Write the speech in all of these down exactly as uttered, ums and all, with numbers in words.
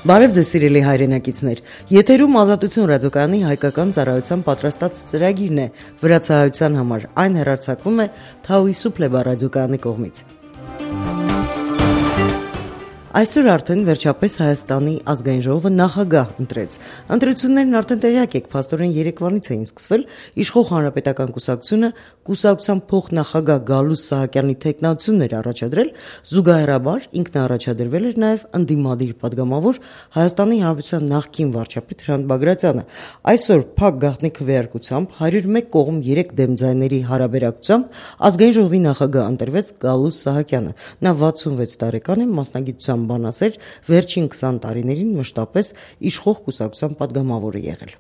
Բարև ձեզ սիրելի հայրենակիցներ, եթերում Ազատություն ռադիոկայանի հայկական ծառայության պատրաստած ծրագիրն է վրացահայության համար, այն հեռարձակվում է Թաուիսուփլեբա ռադիոկայանի կողմից։ Այսօր արդեն վերջապես Հայաստանի ազգային ժողովը նախագահ ընտրեց։ Ընտրություններն արդեն տեղյակ եք, փաստորեն երեկվանից էին սկսվել, իշխող հանրապետական կուսակցությունը կուսակցության փոխնախագահ Գալուստ Սահակյանի թեկնածությունն էր առաջադրել, զուգահեռաբար ինքն առաջադրվել էր նաև ընդդիմադիր падգամավոր Հայաստանի Հանրապետության նախկին վարչապետ Հրանտ Բագրատյանը։ Այսօր փակ գաղտնի քվեարկությամբ հարյուր մեկ կողմ երեք դեմ ձայների հարաբերակցությամբ ազգային ժողովի նախագահ ընտրվեց Գալուստ Սահակյանը։ Նա վաթսունվեց տարեկան է, մասնագիտությամբ բանասեր, վերջին քսան տարիներին մշտապես իշխող կուսակցության падգամավոր է եղել։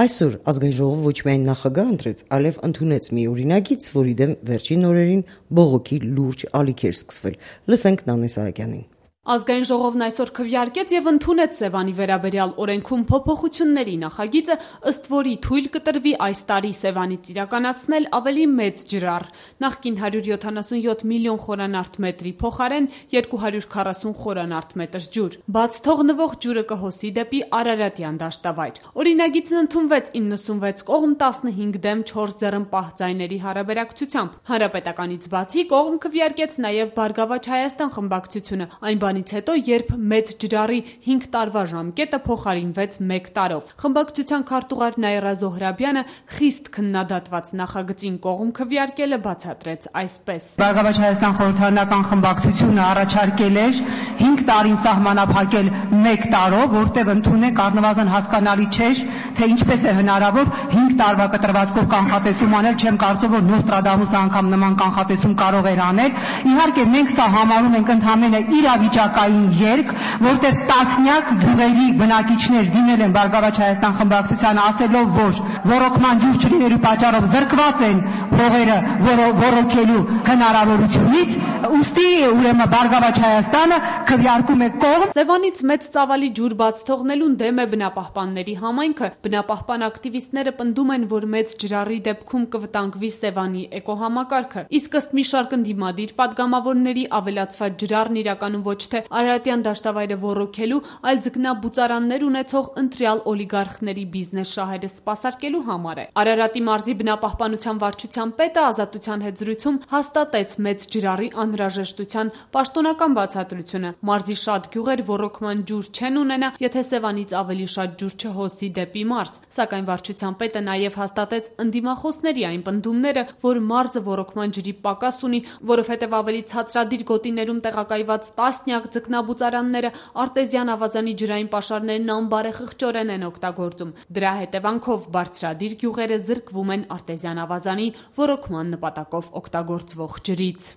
Այսօր ազգային ժողովը ոչ միայն նախագահ ընտրեց, այլև ընդունեց մի օրինագիծ, որի դեմ վերջին օրերին բողոքի լուրջ ալիք էր սկսվել։ Լսենք Նանե Սահակյանին։ Ազգային ժողովն այսօր քվեարկեց եւ ընդունեց Սևանի վերաբերյալ օրենքում փոփոխությունների նախագիծը, ըստ որի թույլ կտրվի այս տարի Սևանից իրականացնել ավելի մեծ ջրառ, նախկին հարյուր յոթանասունյոթ միլիոն խորանարդ մետրի փոխարեն երկու հարյուր քառասուն խորանարդ մետր ջուր։ Բաց թողնվող ջուրը կհոսի դեպի Արարատյան դաշտավայր։ Օրինագիծն ընդունվեց իննսունվեց կողմ տասնհինգ դեմ չորս ձեռնպահ ձայների հարաբերակցությամբ։ Հանրապետականից բացի կողմ քվեարկեց նաեւ Բարգավաճ Հայաստան խմբակցությունը, այն բանից հետո, երբ մեծ ջրառի հինգ տարվա ժամկետը փոխարինվեց մեկ տարով։ Խմբակցության քարտուղար Նաիրա Զոհրաբյանը խիստ քննադատված նախագծին կողմ քվեարկելը բացատրեց այսպես. Բարգավաճ Հայաստան խորհրդարանական խմբակցությունը առաջարկել էր հինգ տարին սահմանափակել մեկ տարով, որտեղ ընդունեք առնվազն հասկանալի չէր, թե ինչպես է հնարավոր հինգ տարվա կտրվածքով կանխատեսում անել, չեմ կարծում, որ Նոստրադամուսը անգամ նման կանխատեսում կարող էր անել։ Իհարկե մենք սա համարում ենք ընդհանրապես իրավիճակային երկ, որտեղ տասնյակ գյուղերի բնակիչներ դիմել են Բարգավաճ Հայաստան խմբակցությանը ասելով, որ ոռոգման ջուր չլինելու պատճառով զրկված են փողերը ոռոգելու հնարավորությունից, ուստի ուրեմն Բարգավաճ Հայաստանը քվեարկում է կողմ։ Սևանից մեծ ծավալի ջուր բաց թողնելուն դեմ է բնապահպանների համայնքը։ Բնապահպան ակտիվիստները պնդում են, որ մեծ ջրառի դեպքում կվտանգվի Սևանի էկոհամակարգը, իսկ ըստ մի շարք ընդդիմադիր падգամավորների ավելացված ջրառն իրականում ոչ թե Արարատյան դաշտավայրը ոռոգելու, այլ ձկնաբուծարաններ ունեցող ընտրյալ օլիգարխների բիզնես շահերը սպասարկելու համար է։ Արարատի մարզի բնապահպանության վարչության պետը Ազատության հետ զրույցում հաստատեց մեծ ջրառի անհրաժեշտության պաշտոնական բացատրությունը։ Մարզի շատ գյուղեր ոռոգման ջուր չեն ունենա, եթե Սևանից ավելի շատ ջուր չհոսի դեպի մարզ, սակայն վարչության պետը նաև հաստատեց ընդդիմախոսների այն պնդումները, որ մարզը ոռոգման ջրի պակաս ունի, որովհետև ավելի ցածրադիր գոտիներում տեղակայված տասնյակ ձկնաբուծարանները արտեզյան ավազանի ջրային պաշարներն անբարեխղճորեն են օգտագործում։ Դրա հետևանքով բարձրադիր գյուղերը զրկվում են արտեզյան ավազանի ոռոգման նպատակով օգտագործվող ջրից։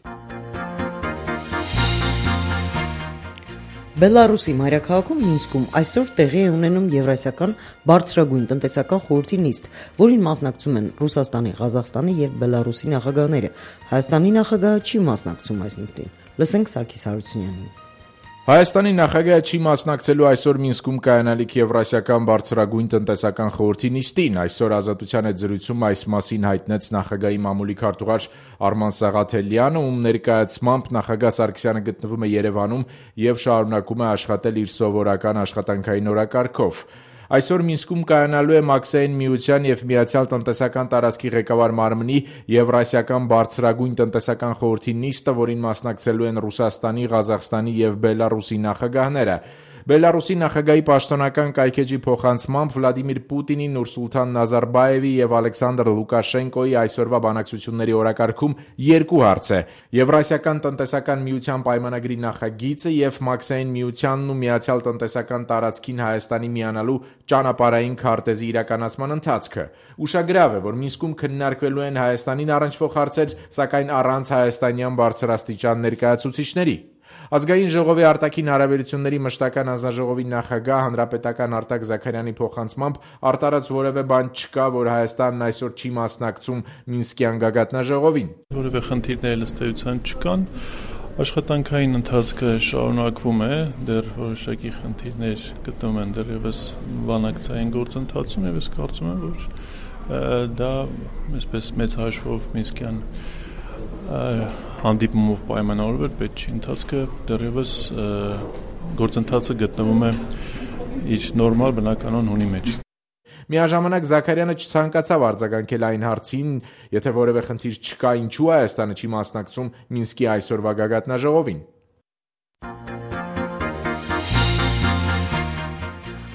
Բելարուսի մայրաքաղաքում Մինսկում այսօր տեղի է ունենում Եվրասիական բարձրագույն տնտեսական խորհրդի նիստ, որին մասնակցում են Ռուսաստանի, Ղազախստանի եւ Բելարուսի նախագահները։ Հայաստանի նախագահը չի մասնակցում այս նիստին։ Լսենք Սարգիս Հարությունյանին։ Հայաստանի նախագահը չի մասնակցելու այսօր Մինսկում կայանալիք Եվրասիական բարձրագույն տնտեսական խորհրդի նիստին։ Այսօր Ազատության հետ զրույցում այս մասին հայտնեց նախագահի մամուլի քարտուղար Արման Սաղաթելյանը, ում ներկայացմամբ նախագահ Սարգսյանը գտնվում է Երևանում եւ շարունակում է աշխատել իր սովորական աշխատանքային օրակարգով։ Այսօր Մինսկում կայանալու է Մաքսային միության եւ Միացյալ տնտեսական տարածքի ղեկավար մարմնի Եվրասիական բարձրագույն տնտեսական խորհրդի նիստը, որին մասնակցելու են Ռուսաստանի, Ղազախստանի եւ Բելարուսի նախագահները։ Բելարուսի նախագահի պաշտոնական կայքեջի փոխանցմամբ Վլադիմիր Պուտինի, Նուրսուլտան Նազարբաևի եւ Ալեքսանդր Լուկաշենկոյի այսօրվա բանակցությունների օրակարգում երկու հարց է՝ Եվրասիական տնտեսական միության պայմանագրի նախագիծը եւ Մաքսային միությանն ու Միացյալ տնտեսական տարածքին Հայաստանի միանալու ճանապարհային քարտեզի իրականացման ընթացքը։ Ուշագրավ է, որ Մինսկում քննարկվելու են Հայաստանին առնչվող հարցեր, սակայն առանց հայաստանյան բարձրաստիճան ներկայացուցիչների։ Ազգային ժողովի արտաքին հարաբերությունների մշտական հանձնաժողովի նախագահ հանրապետական Արտակ Զաքարյանի փոխանցմամբ արտարած որևէ բան չկա, որ Հայաստանն այսօր չի մասնակցում Մինսկյան գագաթնաժողովին։ Որևէ խնդիրներ ըստ էության չկան։ Աշխատանքային ընթացքը շարունակվում է, դեռ որոշակի խնդիրներ գտնվում են դեռևս բանակցային գործընթացում եւ ես կարծում եմ, որ դա այսպես մեծ հաշվով Մինսկյան հանդիպումով պայմանավորվել պետք չի, ընթացքը դեռևս գործընթացը գտնվում է իր նորմալ բնականon հունի մեջ։ Միաժամանակ Զաքարյանը չցանկացավ արձագանքել այն հարցին, եթե որևէ խնդիր չկա, ինչու Հայաստանը չի մասնակցում Մինսկի այսօրվա գագաթնաժողովին։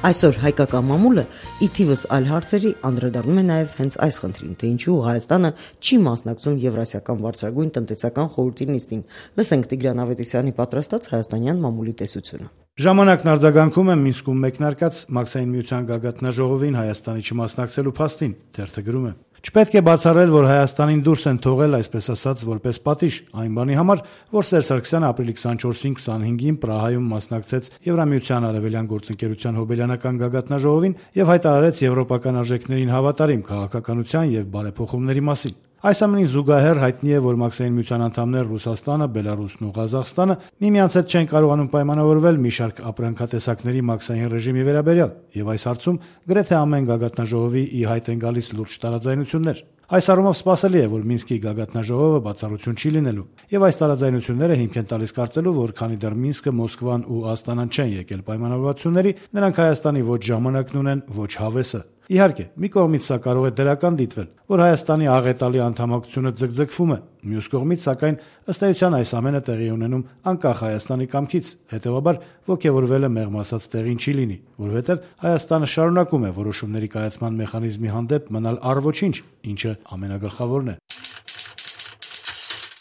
Այսօր հայկական մամուլը ի թիվս այլ հարցերի անդրադառնում է նաև հենց այս խնդրին, թե ինչու Հայաստանը չի մասնակցում Եվրասիական բարձրագույն տնտեսական խորհրդի նիստին։ Լսենք Տիգրան Ավետիսյանի պատրաստած հայաստանյան մամուլի տեսությունը։ Ժամանակն արձագանքում է Մինսկում մեկնարկած Մաքսային միության գագաթնաժողովին Հայաստանի չմասնակցելու փաստին, թերթը գրում է. Չպետք է բացառել, որ Հայաստանին դուրս են թողել, այսպես ասած, որպես պատիժ, այն բանի համար, որ Սերժ Սարգսյանը ապրիլի քսանչորսին քսանհինգին Պրահայում մասնակցեց Եվրամիության արևելյան գործընկերության հոբելյանական գագաթնաժողովին եւ հայտարարեց եվրոպական արժեքներին հավատարիմ քաղաքականության եւ բարեփոխումների մասին։ Այս ամենին զուգահեռ հայտնի է, որ Մաքսային միության անդամներ Ռուսաստանը, Բելարուսն ու Ղազախստանը միմյանց հետ չեն կարողանում պայմանավորվել մի շարք ապրանքատեսակների մաքսային ռեժիմի վերաբերյալ, եւ այս հարցում գրեթե ամեն գագաթնաժողովի ի հայտ են գալիս լուրջ տարաձայնություններ։ Այս առումով սպասելի է, որ Մինսկի գագաթնաժողովը բացառություն չի լինելու, եւ այս տարաձայնությունները հիմք են տալիս կարծելու, որ քանի դեռ Մինսկը, Մոսկվան ու Աստանան չեն եկել պայմանավորվածությունների, նրանք Հայաստանի ոչ ժամանակն ունեն, ոչ հավեսը։ Իհարկե, մի կողմից սա կարող է դրական դիտվել, որ Հայաստանի աղետալի անդամակցությունը ձգձգվում է, մյուս կողմից, սակայն, ըստ էության այս ամենը տեղի ունենում անկախ Հայաստանի կամքից, հետևաբար ոգևորվելը մեղմ ասած տեղին չի լինի, որովհետև Հայաստանը շարունակում է որոշումների կայացման մեխանիզմի հանդեպ մնալ առ-ոչինչ, ինչը ամենագլխավորն է։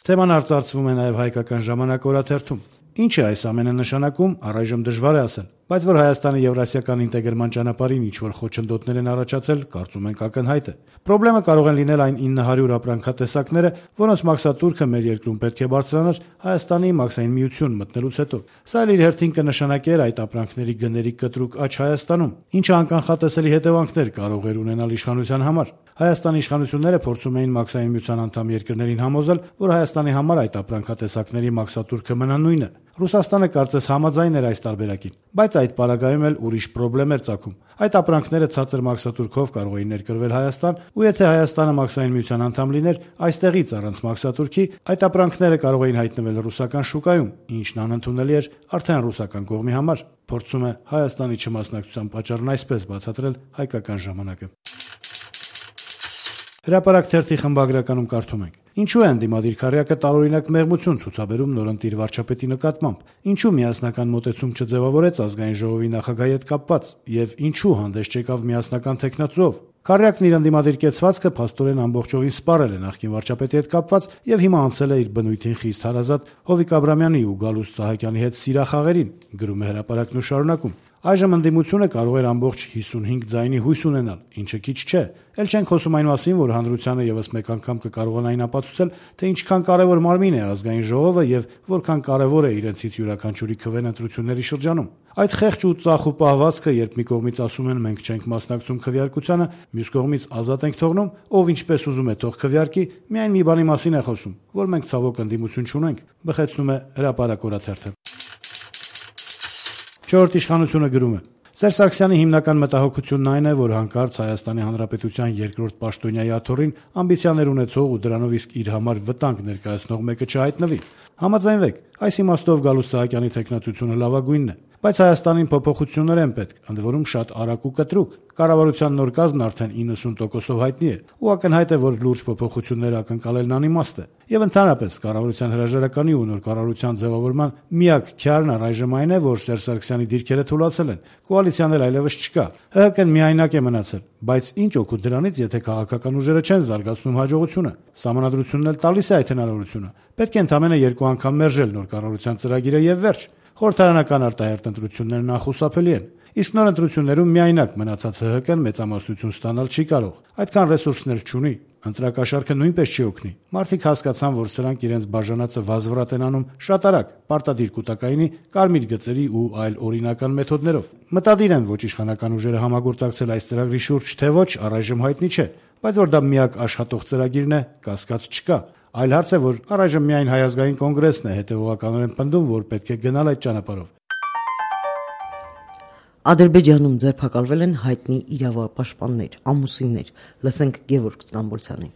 Թեման արծարծվում է նաև հայկական ժամանակ օրաթերթում։ Ինչ է այս ամենը նշանակում, առայժմ դժվար է ասել, բայց որ Հայաստանի եվրասիական ինտեգրման ճանապարհին ինչ-որ խոչընդոտներ են առաջացել, կարծում ենք ակնհայտ է։ Պրոբլեմը կարող են լինել այն ինը հարյուր ապրանքատեսակները, որոնց մաքսատուրքը մեր երկրում պետք է բարձրանար Հայաստանի մաքսային միություն մտնելուց հետո։ Սա էլ իր հերթին կնշանակեր այդ ապրանքների գների կտրուկ աճ Հայաստանում, ինչը անկանխատեսելի հետևանքներ կարող էր ունենալ իշխանության համար։ Հայաստանի իշխանությունները փորձում էին մաքսային միության անդամ երկրներին համոզել, որ Հայաստանի համար այդ ապրանքատեսակների մաքսատուրքը մնա նույնը։ Ռուսաստանը կարծես համաձայն էր այս տարբերակին, բայց այդ պարագայում էլ ուրիշ պրոբլեմ էր ծագում։ Այդ ապրանքները ցածր մաքսատուրքով կարող էին ներկրվել Հայաստան, ու եթե Հայաստանը մաքսային միության անդամ լիներ, այստեղից առանց մաքսատուրքի, այդ ապրանքները կարող էին հայտնվել ռուսական շուկայում, ինչն անընդունելի էր արդեն ռուսական կողմի համար։ Փորձում է Հայաստանի չմասնակցության պատճառն այսպես բացատրել հայկական ժամանակը։ Հրապարակ թերթի խմբագրականում կարդում ենք. Ինչու է ընդդիմադիր քառյակը տարօրինակ մեղմություն ցուցաբերում նորընտիր վարչապետի նկատմամբ, ինչու միասնական մոտեցում չձևավորեց ազգային ժողովի նախագահի հետ կապված եւ ինչու հանդես չեկավ միասնական տեխնացուով։ Քառյակն իր ընդդիմադիր կեցվածքը փաստորեն ամբողջովին սպառել է նախկին վարչապետի հետ կապված եւ հիմա անցել է իր բնույթին խիստ հարազատ Հովիկ Աբրամյանի ու Գալուստ Սահակյանի հետ սիրախաղերին, գրում է հրապարակն ու շարունակում։ Այժմ ընդդիմությունը կարող էր ամբողջ հիսունհինգ ձայնի հույս ունենալ, ինչը քիչ չէ։ Էլ չենք խոսում այն մասին, որ հանրությանը եւս մեկ անգամ կկարողանային ապացուցել, թե ինչքան կարեւոր մարմին է ազգային ժողովը եւ որքան կարեւոր է իրենցից յուրաքանչյուրի քվեն ընտրությունների շրջանում։ Այդ խեղճ ու ծախու պահվածքը, երբ մի կողմից ասում են մենք չենք մասնակցում քվեարկությանը, մյուս կողմից ազատ ենք թողնում, ով ինչպես ուզում է թող քվեարկի, միայն մի բանի մասին է խոսում, որ մենք ցավոք ընդդիմություն չունենք, բխեցնում է Հրապարակ օրաթերթը։ Չորրորդ իշխանությունը գրում է. Սերժ Սարգսյանի հիմնական մտահոգությունն այն է, որ հանկարծ Հայաստանի Հանրապետության երկրորդ պաշտոնյայի աթոռին ամբիցիաներ ունեցող ու դրանով իսկ իր համար վտանգ ներկայացնող մեկը չհայտնվի։ Համաձայնվեք, այս իմաստով Գալուստ Սահակյանի տեխնատությունը լավագույնն է, բայց Հայաստանին փոփոխություններ են պետք, ընդ որում շատ արագ ու կտրուկ։ Կառավարության նոր կազմն արդեն իննսուն տոկոսով հայտնի է, ու ակնհայտ է, որ լուրջ փոփոխություններ ակնկալելն անիմաստ է։ Եվ ընդհանրապես կառավարության հրաժարականի ու նոր կառավարության ձևավորման միակ քյարն առայժմ այն է, որ Սերժ Սարգսյանի դիրքերը թուլացել են, կոալիցիան էլ այլևս չկա։ ՀՀԿ-ն միայնակ է մնացել, բայց ինչ օգուտ դրանից, եթե քաղաքական ուժերը չեն զարգացնում հաջողությունը։ Սահմանադրությունն էլ տալիս է այդ հնարավորությունը։ Պետք է ընդամենը երկու անգամ մերժել նոր կառավարության ծրագիրը եւ վերջ։ Խորհրդարանական արտահերտ ընտրություններն անխուսափելի են։ Իսկ նոր ընտրություններում միայնակ մնացած ՀՀԿ-ն մեծամասնություն ստանալ չի կարող։ Այդքան ռեսուրսներ չունի։ Ընտրակաշառքը նույնպես չի օգնի։ Մարդիկ հասկացան, որ սրանք իրենց բաժանածը վազվռատ են անում շատ արագ, պարտադիր կൂട്ടակայինի, կարմիր գծերի ու այլ օրինական մեթոդներով։ Մտադիր են ոչ իշխանական ուժերը համագործակցել այս ծրագրի շուրջ, թե ոչ, առայժմ հայտնի չէ, բայց որ դա միակ աշխատող ծրագիրն է, կասկած չկա։ Այլ հարց է, որ առայժմ միայն Հայ ազգային կոնգրեսն է հետևողականորեն պնդում, որ պետք է գնալ այդ ճանապարհով։ Ադրբեջանում ձերբակալվել են հայտնի իրավապաշտպաններ, ամուսիններ։ Լսենք Գևորգ Ստամբոլցյանին։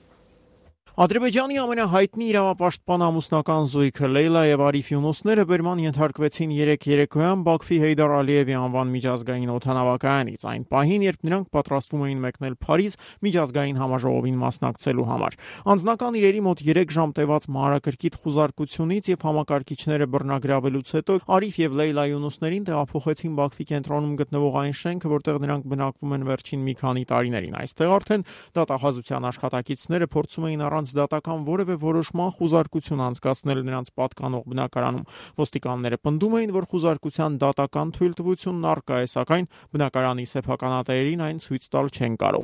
Ադրբեջանի ամենահայտնի իրավապաշտպան ամուսնական զույգը Լեյլա եւ Արիֆ Յունուսները բերման ենթարկվեցին երեկ երեկոյան Բաքվի Հեյդար Ալիևի անվան միջազգային օդանավակայանից, այն պահին, երբ նրանք պատրաստվում էին մեկնել Փարիզ միջազգային համաժողովին մասնակցելու համար։ Անձնական իրերի մոտ երեք ժամ տևած մանրակրկիտ խուզարկությունից եւ համակարգիչները բռնագրավելուց հետո Արիֆ եւ Լեյլա Յունուսներին տեղափոխեցին Բաքվի կենտրոնում գտնվող այն շենքը, որտեղ նրանք բնակվում են վերջին մի քանի տարիներին։ Այստեղ արդեն դատախազության աշխատակիցները փորձում էին առանց դատական որևէ որոշման խուզարկություն անցկացնել նրանց պատկանող բնակարանում։ Ոստիկանները պնդում էին, որ խուզարկության դատական թույլտվությունն առկա է, սակայն բնակարանի սեփականատերերին այն ցույց տալ չեն կարող։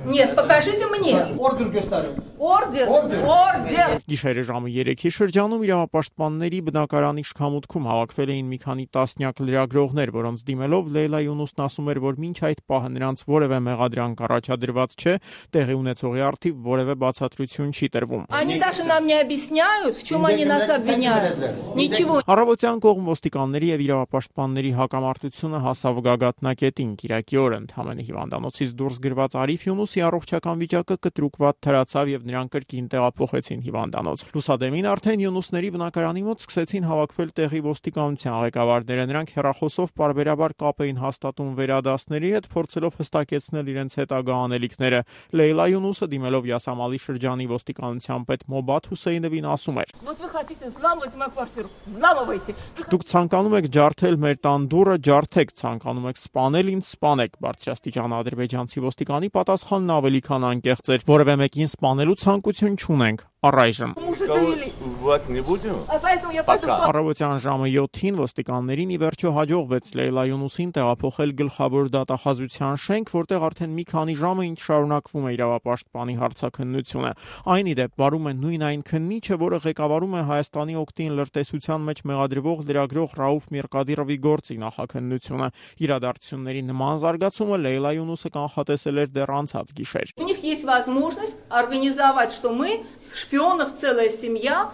Нет, покажите мне. Ордер գստարում։ Օրդեր, օրդեր։ Գիշերը ժամը երեքի շրջանում իրավապաշտպանների բնակարանի շքամուտքում հավաքվել էին մի քանի տասնյակ լրագրողներ, որոնց դիմելով Լեյլա Յունուսն ասում էր, որ մինչ այդ պահը նրանց որևէ մեղադրանք առաջադրված չէ, տեղի ունեցողի առթիվ որևէ բացատրություն չի տրվում։ Они даже нам не объясняют, в чем они нас обвиняют. Ничего. Առավոտյան կողմ ոստիկանների եւ իրավապաշտպանների հակամարտությունը հասավ գագաթնակետին։ Կիրակի օրը ընդհանրապես հիվանդանոցից դուրս գրված Արիֆ Յունուսի առողջական վիճակը կտրուկված թրացավ եւ նրան կրկին տեղափոխեցին հիվանդանոց։ Լուսադեմին արդեն Յունուսների բնակարանի մոտ սկսեցին հավաքվել տեղի ոստիկանության ղեկավարները։ Նրանք հեռախոսով պարբերաբար կապ էին հաստատում վերադասների հետ, փորձելով հստակեցնել իրենց հետագա անելիքները։ Լեյլա Յունուսը դիմելով Յասամալի շրջանի ոստիկանության պետ Մոբաթ Հուսեյնովին ասում էր. Вот вы хотите взламывать мою квартиру. Взламывайте. Դուք ցանկանում եք ջարդել մեր տան դուռը, ջարդեք, ցանկանում եք սպանել, ինձ սպանեք։ Բարձրաստիճան ադրբեջանցի ոստիկանի պատասխանն ավելի քան անկեղծ էր։ Որևէ մեկին սպանելու ցանկություն չունենք։ Առայժմ Առավոտյան ժամը յոթին ոստիկաններին ի վերջո հաջողվեց Լեյլա Յունուսին տեղափոխել գլխավոր դատախազության շենք, որտեղ արդեն մի քանի ժամ է ինչ շարունակվում է իրավապաշտպանի հարցաքննությունը։ Այն ի դեպ վարում է նույն այն քննիչը, որը ղեկավարում է Հայաստանի օգտին լրտեսության մեջ մեղադրվող լրագրող Ռաուֆ Միրկադիրովի գործի նախաքննությունը։ Իրադարձությունների նման զարգացումը Լեյլա Յունուսը կանխատեսել էր դեռ անցած գիշեր։ У них есть возможность организовать, что мы шпионов целая семья.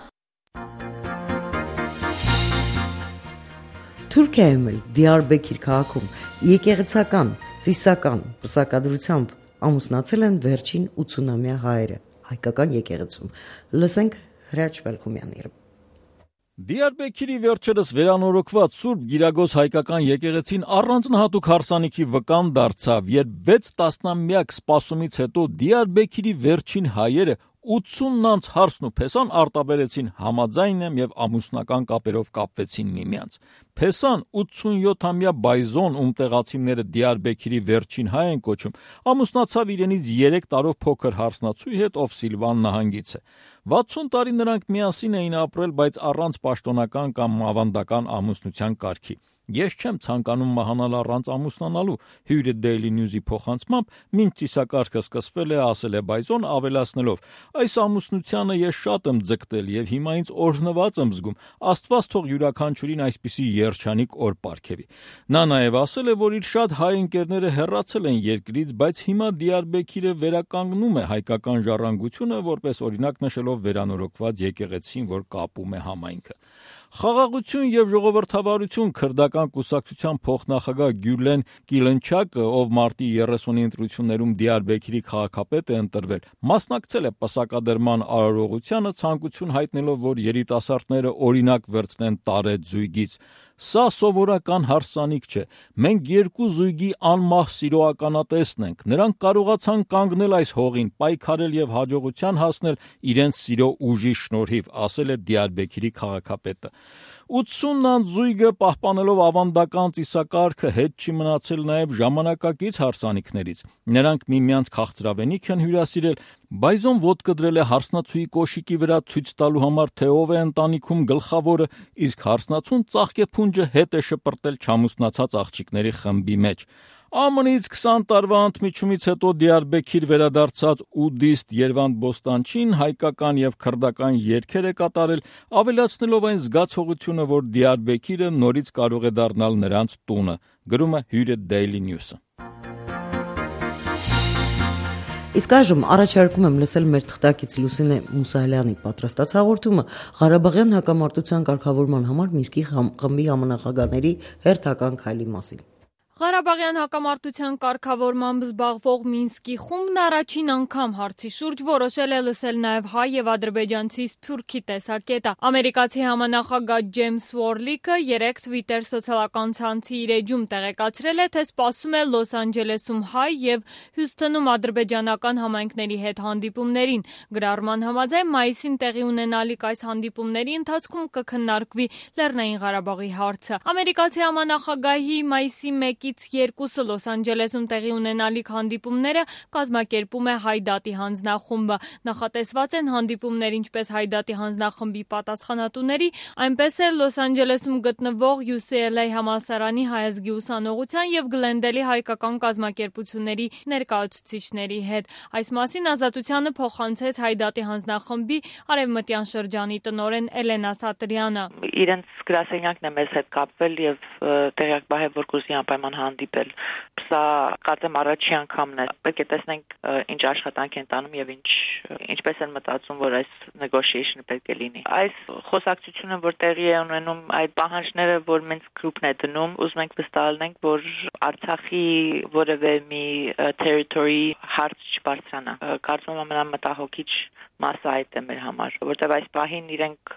Թուրքիայում էլ Դիարբեքիր քաղաքում եկեղեցական, ծիսական պսակադրությամբ ամուսնացել են վերջին ութսունամյա հայերը հայկական եկեղեցում։ Լսենք Հրաչ Մելքումյանի։ Դիարբեքիրի վերջերս վերանորոգված Սուրբ Գիրագոս հայկական եկեղեցին առանձնահատուկ հարսանիքի վկան դարձավ, երբ վեց տասնամյակ սպասումից հետո Դիարբեքիրի վերջին հայերը ութսուն անց հարսն ու փեսան արտաբերեցին համաձայն եմ եւ ամուսնական կապերով կապվեցին միմյանց։ Փեսան ութսունյոթամյա բայզոն, ում տեղացիները Դիարբեքիրի վերջին հայ են կոչում, ամուսնացավ իրենից երեք տարով փոքր հարսնացուի հետ, ով Սիլվան նահանգից է։ վաթսուն տարի նրանք միասին էին ապրել, բայց առանց պաշտոնական կամ ավանդական ամուսնության կարգի։ Ես չեմ ցանկանում մահանալ առանց ամուսնանալու, հյուրը Daily News-ի փոխանցմամբ, մինչ ծիսակարգը սկսվել է, ասել է բայզոն, ավելացնելով. այս ամուսնությանը ես շատ եմ ձգտել եւ հիմա ինձ օրհնված եմ զգում, Աստված թող յուրաքանչյուրին այսպիսի երջանիկ օր պարգևի։ Նա նաեւ ասել է, որ իր շատ հայ ընկերները հեռացել են երկրից, բայց հիմա Դիարբեքիրը վերականգնում է հայկական ժառանգությունը, որպես օրինակ նշելով վերանորոգված եկեղեցին, որ կապում է համայնքը։ Խաղաղություն եւ ժողովրդավարություն քրդական կուսակցության փոխնախագահ Գյուլեն Կիլնչակը, ով մարտի երեսունի ընտրություններում Դիարբեքիրի քաղաքապետ է ընտրվել, մասնակցել է պսակադրման արարողությանը, ցանկություն հայտնելով, որ երիտասարդները օրինակ վերցնեն տարեց զույգից։ Սա սովորական հարսանիք չէ։ Մենք երկու զույգի անմահ սիրո ականատեսն ենք։ Նրանք կարողացան կանգնել այս հողին, պայքարել եւ հաջողության հասնել իրենց սիրո ուժի շնորհիվ, ասել է Դիարբեքիրի քաղաքապետը։ ութսուն անց զույգը պահպանելով ավանդական ծիսակարգը հետ չի մնացել նաև ժամանակակից հարսանիքներից։ Նրանք միմյանց քաղցրավենիք են հյուրասիրել, բայզոն ոտք դրել է հարսնացուի կոշիկի վրա ցույց տալու համար, թե ով է ընտանիքում գլխավորը, իսկ հարսնացուն ծաղկեփունջը հետ է շպրտել չամուսնացած աղջիկների խմբի մեջ։ ԱՄՆ-ից քսան տարվա ընդմիջումից հետո Դիարբեքիր վերադարձած ուդիստ Երվանդ Բոստանչին հայկական եւ քրդական երգեր է կատարել, ավելացնելով այն զգացողությունը, որ Դիարբեքիրը նորից կարող է դառնալ նրանց տունը, գրում է հյուրը Daily News-ը։ Իսկ այժմ առաջարկում եմ լսել մեր թղթակից Լուսինե Մուսալյանի պատրաստած հաղորդումը Ղարաբաղյան հակամարտության կարգավորման համար Մինսկի խմբի համանախագահների հերթական քայլի մասին։ Ղարաբաղյան հակամարտության կարգավորմամբ զբաղվող Մինսկի խումբն առաջին անգամ հարցի շուրջ որոշել է լսել նաև հայ եւ ադրբեջանցի սփյուռքի տեսակետը։ Ամերիկացի համանախագահ Ջեյմս Ուորլիկը երեկ Twitter սոցիալական ցանցի իր էջում տեղեկացրել է, թե սպասում է Լոս Անջելեսում հայ եւ Հյուսթոնում ադրբեջանական համայնքների հետ հանդիպումներին։ Գրառման համաձայն մայիսին տեղի ունենալիք այս հանդիպումների ընթացքում կքննարկվի Լեռնային Ղարաբաղի հարցը։ Ամերիկացի համանախագահի մայիսի մեկից երկուսը Լոս Անջելեսում տեղի ունենալիք հանդիպումները կազմակերպում է Հայդատի հանձնախումբը։ Նախատեսված են հանդիպումներ ինչպես Հայդատի հանձնախմբի պատասխանատուների, այնպես էլ Լոս Անջելեսում գտնվող յու սի ել էյ համալսարանի հայազգի ուսանողության եւ Գլենդելի հայկական կազմակերպությունների ներկայացուցիչների հետ։ Այս մասին Ազատությանը փոխանցեց Հայդատի հանձնախմբի արևմտյան շրջանի տնօրեն Էլենա Սատրյանը։ Իրենց գրասենյակն է մեզ հետ կապվել եւ տեղյակ բահել, որ կուզի անպայման հանդիպել։ Սա կարծեմ առաջի անգամն է։ Պետք է տեսնենք ինչ աշխատանք են տանում եւ ինչ ինչպես են մտածում, որ այս negotiation-ը պետք է լինի։ Այս խոսակցությունը, որ տեղի է ունենում, այդ պահանջները, որ Minsk Group-ն է դնում, ուզում ենք վստահ լինենք, որ Արցախի որևէ մի territory հարց չբարձրանա։ Կարծում եմ ամենամտահոգիչ մասը այդ է մեր համար, որտեղ այս պահին իրենք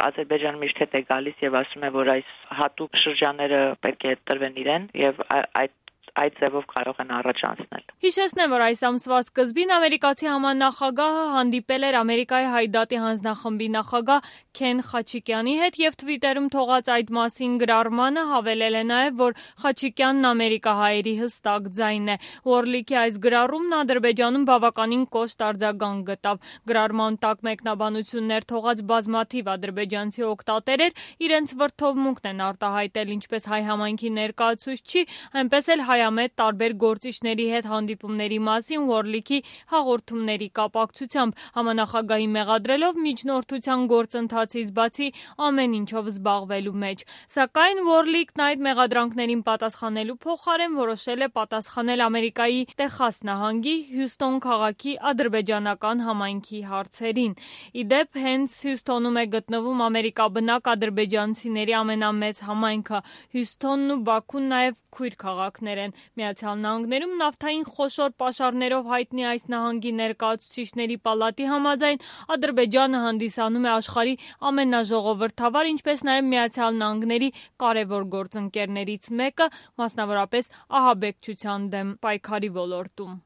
Ադրբեջանը միշտ հետ է գալիս եւ ասում է, որ այս հատուկ շրջանները պետք է տրվեն իրեն եւ այդ այդ ձևով կարող են առաջ անցնել։ Հիշեցնեմ, որ այս ամսվա սկզբին ամերիկացի համանախագահը հանդիպել էր Ամերիկայի Հայդատի հանձնախմբի նախագահ Քեն Խաչիկյանի հետ եւ Twitter-ում թողած այդ մասին գրառմանը հավելել է նաեւ, որ Խաչիկյանն ամերիկահայերի հստակ ձայն է։ Ուորլիկի այս գրառումն Ադրբեջանում բավականին կոշտ արձագանք գտավ։ Գրառման տակ մեկնաբանություններ թողած բազմաթիվ ադրբեջանցի օգտատերեր իրենց վրդովմունքն են արտահայտել ինչպես հայ համայնքի ներկայացուցչի, այնպես էլ հայ մեծ տարբեր գործիչների հետ հանդիպումների մասին Ուորլիկի հաղորդումների կապակցությամբ համանախագահի մեղադրելով միջնորդության գործընթացից բացի ամեն ինչով զբաղվելու մեջ։ Սակայն Ուորլիկն այդ մեղադրանքներին պատասխանելու փոխարեն որոշել է պատասխանել Ամերիկայի Տեխաս նահանգի Հյուսթոն քաղաքի ադրբեջանական համայնքի հարցերին։ Իդեպ հենց Հյուսթոնում է գտնվում ամերիկաբնակ ադրբեջանցիների ամենամեծ համայնքը։ Հյուսթոնն ու Բաքուն նաև քույր քաղաքներ են։ Միացյալ Նահանգներում նավթային խոշոր պաշարներով հայտնի այս նահանգի ներկայացուցիչների պալատի համաձայն Ադրբեջանը հանդիսանում է աշխարհի ամենաժողովրդավար, ինչպես նաև Միացյալ Նահանգների կարևոր գործընկերներից մեկը, մասնավորապես ահաբեկչության դեմ պայքարի ոլորտում։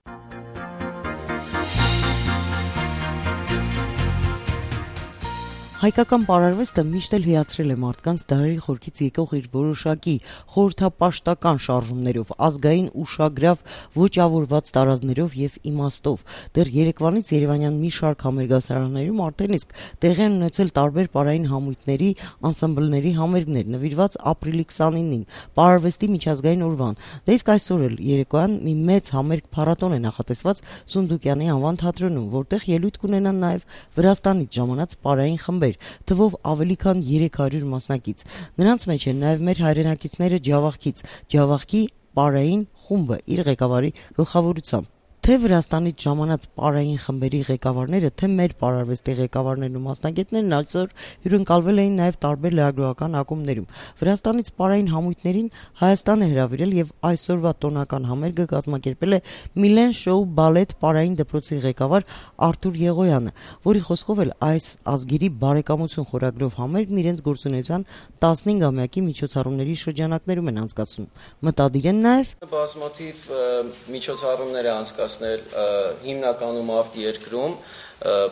Հայկական պարարվեստը միշտ էլ հիացրել է մարդկանց դարերի խորքից եկող իր որոշակի խորհրդապաշտական շարժումներով, ազգային ուշագրավ ոճավորված տարազներով եւ իմաստով։ Դեռ Երևանից Երևանյան մի շարք համերգասարաններում արդեն իսկ տեղի են ունեցել տարբեր պարային համույթների, անսամբլների համերգներ, նվիրված ապրիլի քսանինին, պարարվեստի միջազգային օրվան։ Դե իսկ այսօր էլ երեկոյան մի մեծ համերգ փառատոն է նախատեսված Սունդուկյանի անվան թատրոնում, որտեղ ելույթ կունենան նաեւ Վրաստանից ժամանած պարային խմբեր, թվով ավելի քան երեք հարյուր մասնակից։ Նրանց մեջ են նաև մեր հայրենակիցները Ջավախքից, Ջավախքի պարային խումբը իր ղեկավարի գլխավորությամբ։ Թե Վրաստանից ժամանած պարային խմբերի ղեկավարները, թե մեր պարարվեստի ղեկավարներն ու մասնագետներն այսօր հյուրընկալվել էին նաև տարբեր լրագրողական ակումբներում։ Վրաստանից պարային համույթներին Հայաստան է հրավիրել եւ այսօրվա տոնական համերգը կազմակերպել է Միլեն Շոու բալետ պարային դպրոցի ղեկավար Արթուր Եղոյանը, որի խոսքով էլ այս ազգերի բարեկամություն խորագրով համերգն իրենց գործունեության տասնհինգամյակի միջոցառումների շրջանակներում են անցկացնում։ Մտադիր են նաև բազմաթիվ միջոցառումներ է անցկացնում հիմնականում արտերկրում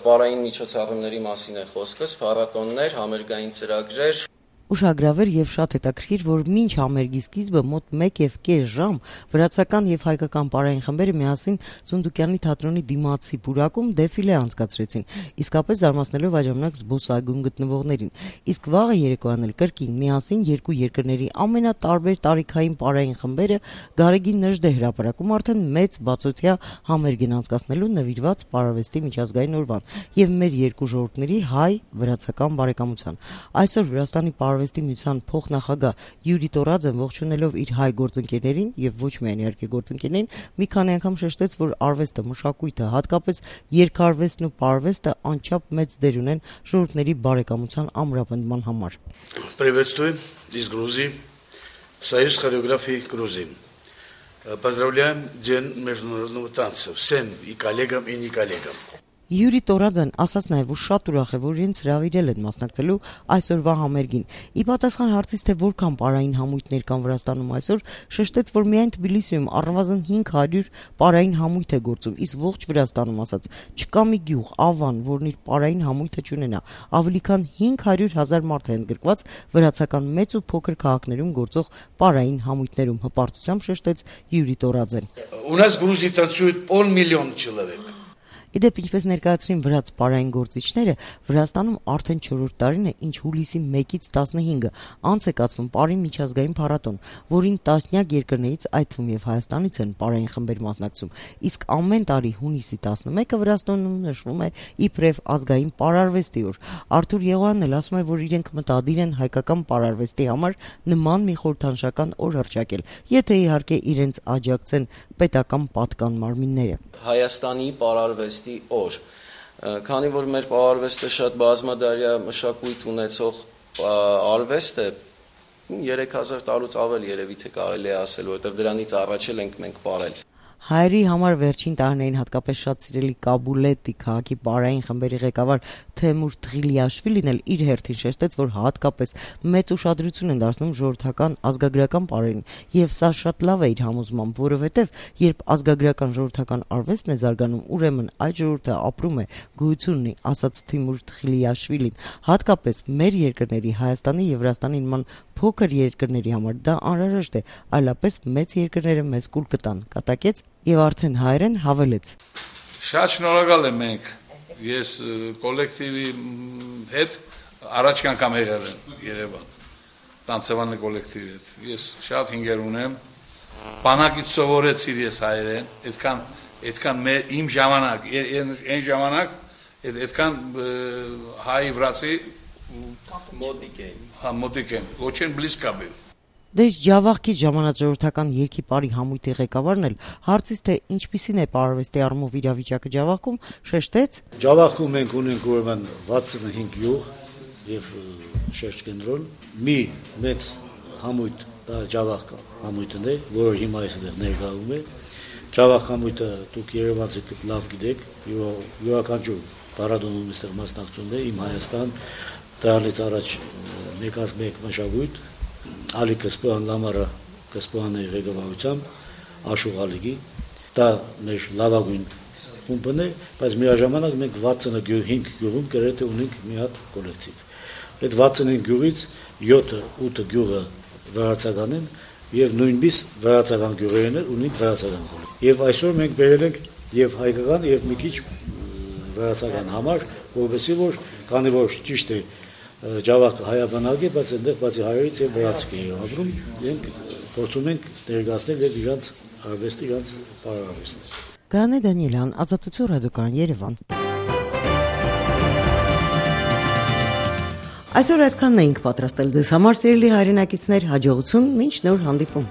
պարային միջոցառումների մասին է խոսքս, փառատոններ, համերգային ծրագրեր։ Ուշագրավ էր եւ շատ հետաքրքիր, որ մինչ համերգի սկիզբը մոտ մեկ եւ կես ժամ վրացական եւ հայկական պարային խմբերը միասին Սունդուկյանի թատրոնի դիմացի պուրակում դեֆիլե անցկացրեցին, իսկապես զարմացնելով այդ ժամանակ զբոսայգում գտնվողներին։ Իսկ վաղը երեկոյան էլ կրկին միասին երկու երկրների ամենատարբեր տարիքային պարային խմբերը Գարեգին Նժդե հրապարակում արդեն մեծ բացօթյա համերգ են անցկացնելու նվիրված պարարվեստի միջազգային օրվան եւ մեր երկու ժողովուրդների հայ-վրացական բարեկամության։ Այսօր Վրաստանի Արվեստի միության փոխնախագահ Յուրի Տորաձեն ողջունելով իր հայ գործընկերներին եւ ոչ միայն իհարկե գործընկերներին, մի քանի անգամ շեշտեց, որ арվեստը, մշակույթը, հատկապես երգարվեստն ու պարվեստը անչափ մեծ դեր ունեն ժողովուրդների բարեկամության ամրապնդման համար։ Приветствую из Грузии, Союз хореографии Грузии. Поздравляем День международного танца всем и коллегам, и не коллегам. Յուրի Տորաձեն ասաց նաև, որ շատ ուրախ է, որ իրենց հրավիրել են մասնակցելու այսօրվա համերգին։ Ի պատասխան հարցից, թե որքան պարային համույթներ կան Վրաստանում այսօր, շեշտեց, որ միայն Թբիլիսիում առնվազն հինգ հարյուր պարային համույթ է գործում, իսկ ողջ Վրաստանում ասաց, չկա մի գյուղ, Ավան, որն իր պարային համույթը չունենա։ Ավելի քան հինգ հարյուր հազար մարդ է ընդգրկված վրացական մեծ ու փոքր քաղաքներում գործող պարային համույթներում, հպարտությամբ շեշտեց Յուրի Տորաձեն։ У нас в Грузии танцует полмиллиона человек. Իդեպ ինչպես ներկայացրին վրաց պարային գործիչները, Վրաստանում արդեն չորրորդ տարին է, ինչ հուլիսի մեկից տասնհինգը անց է կացվում պարի միջազգային փառատոն, որին տասնյակ երկրներից, այդ թվում եւ Հայաստանից են պարային խմբեր մասնակցում, իսկ ամեն տարի հունիսի տասնմեկը Վրաստանում նշվում է իբրև ազգային պարարվեստի օր։ Արթուր Եղոյանն էլ ասում է, որ իրենք մտադիր են հայկական պարարվեստի համար նման մի խորհրդանշական օր հռչակել, եթե իհարկե իրենց աջակցեն պետական պատկան մարմինները։ Հայաստանի պարարվեստի օր, քանի որ մեր պարարվեստը շատ բազմադարյա մշակույթ ունեցող արվեստ է, երեք հազար տարուց ավել երևի թե կարելի է ասել, որովհետև դրանից առաջ էլ ենք մենք պարել։ Հայերի համար վերջին տարիներին հատկապես շատ սիրելի Կաբուլետի քաղաքի պարային խմբերի ղեկավար Թեմուր Թղիլիաշվիլին էլ իր հերթին շեշտեց, որ հատկապես մեծ ուշադրություն են դարձնում ժողովրդական ազգագրական պարերին, եւ սա շատ լավ է իր համոզմամբ, որովհետեւ երբ ազգագրական ժողովրդական արվեստն է զարգանում, ուրեմն այդ ժողովուրդը ապրում է, գոյություն ունի, ասաց Թիմուր Թղիլիաշվիլին, հատկապես մեր երկրների Հայաստանի եւ Վրաստանի նման փոքր երկրների համար դա անհրաժեշտ է, այլապես մեծ երկրները մեզ կուլ կտան, կատակեց եւ արդեն հայերեն հավելեց։ Շատ շնորհակալ եմ մենք, ես կոլեկտիվի հետ առաջ անգամ եղել եմ Երևան, տանցավանի կոլեկտիվի հետ, ես շատ հինգեր ունեմ, բանակից սովորեցիր ես հայերեն, այդքան, այդքան իմ ժամանակ, այն ժամանակ, այդքան հայ վրացի մոտիկ էին, հա մոտիկ են, очень близко был։ Դες Ջավախքի ժամանակ-ժողովրդական երկի պարի համույթի ղեկավարն էլ հարցից թե ինչպիսին է պարարվեստի առումով իրավիճակը Ջավախքում, շեշտեց. Ջավախքում մենք ունենք ուրեմն վաթսունհինգ գյուղ եւ շերտ կենտրոն, մի մեծ համույթ, դա Ջավախ համույթն է, որը հիմա այստեղ ներկայում է։ Ջավախ համույթը դուք երևանցիք լավ գիտեք, յուրաքանչյուր պարադոնում այստեղ մասնակցում է, իմ Հայաստան, դրանից առաջ մեկած մեկ մշակույթ Ալի Կսպոյան Լամարը Կսպոյանի ղեկավարությամբ Աշուղ Ալիգի, դա մեր լավագույն խումբն է, բայց միաժամանակ մենք վաթսունհինգ գյուղում գրեթե ունենք մի հատ կոլեկտիվ։ Այդ վաթսունհինգ գյուղից յոթը ութը գյուղը վրացական են եւ նույնպես վրացական գյուղերն են ունենք վրացական կոլեկտիվ։ Եվ այսօր մենք բերել ենք եւ հայկական եւ մի քիչ վրացական համար, որովհետեւ որ քանի որ ճիշտ է Ջավախը հայաբնակ է, բայց այնտեղ բացի հայերից եւ վրացիք են ապրում, մենք փորձում ենք ներկայացնել եւ իրանց արվեստը, իրանց պարարվեստը։ Գանե Դանիելյան, Ազատություն ռադիոկայան, Երևան։ Այսօր այսքանն էինք պատրաստել ձեզ համար, սիրելի հայրենակիցներ, հաջողություն, մինչ նոր հանդիպում։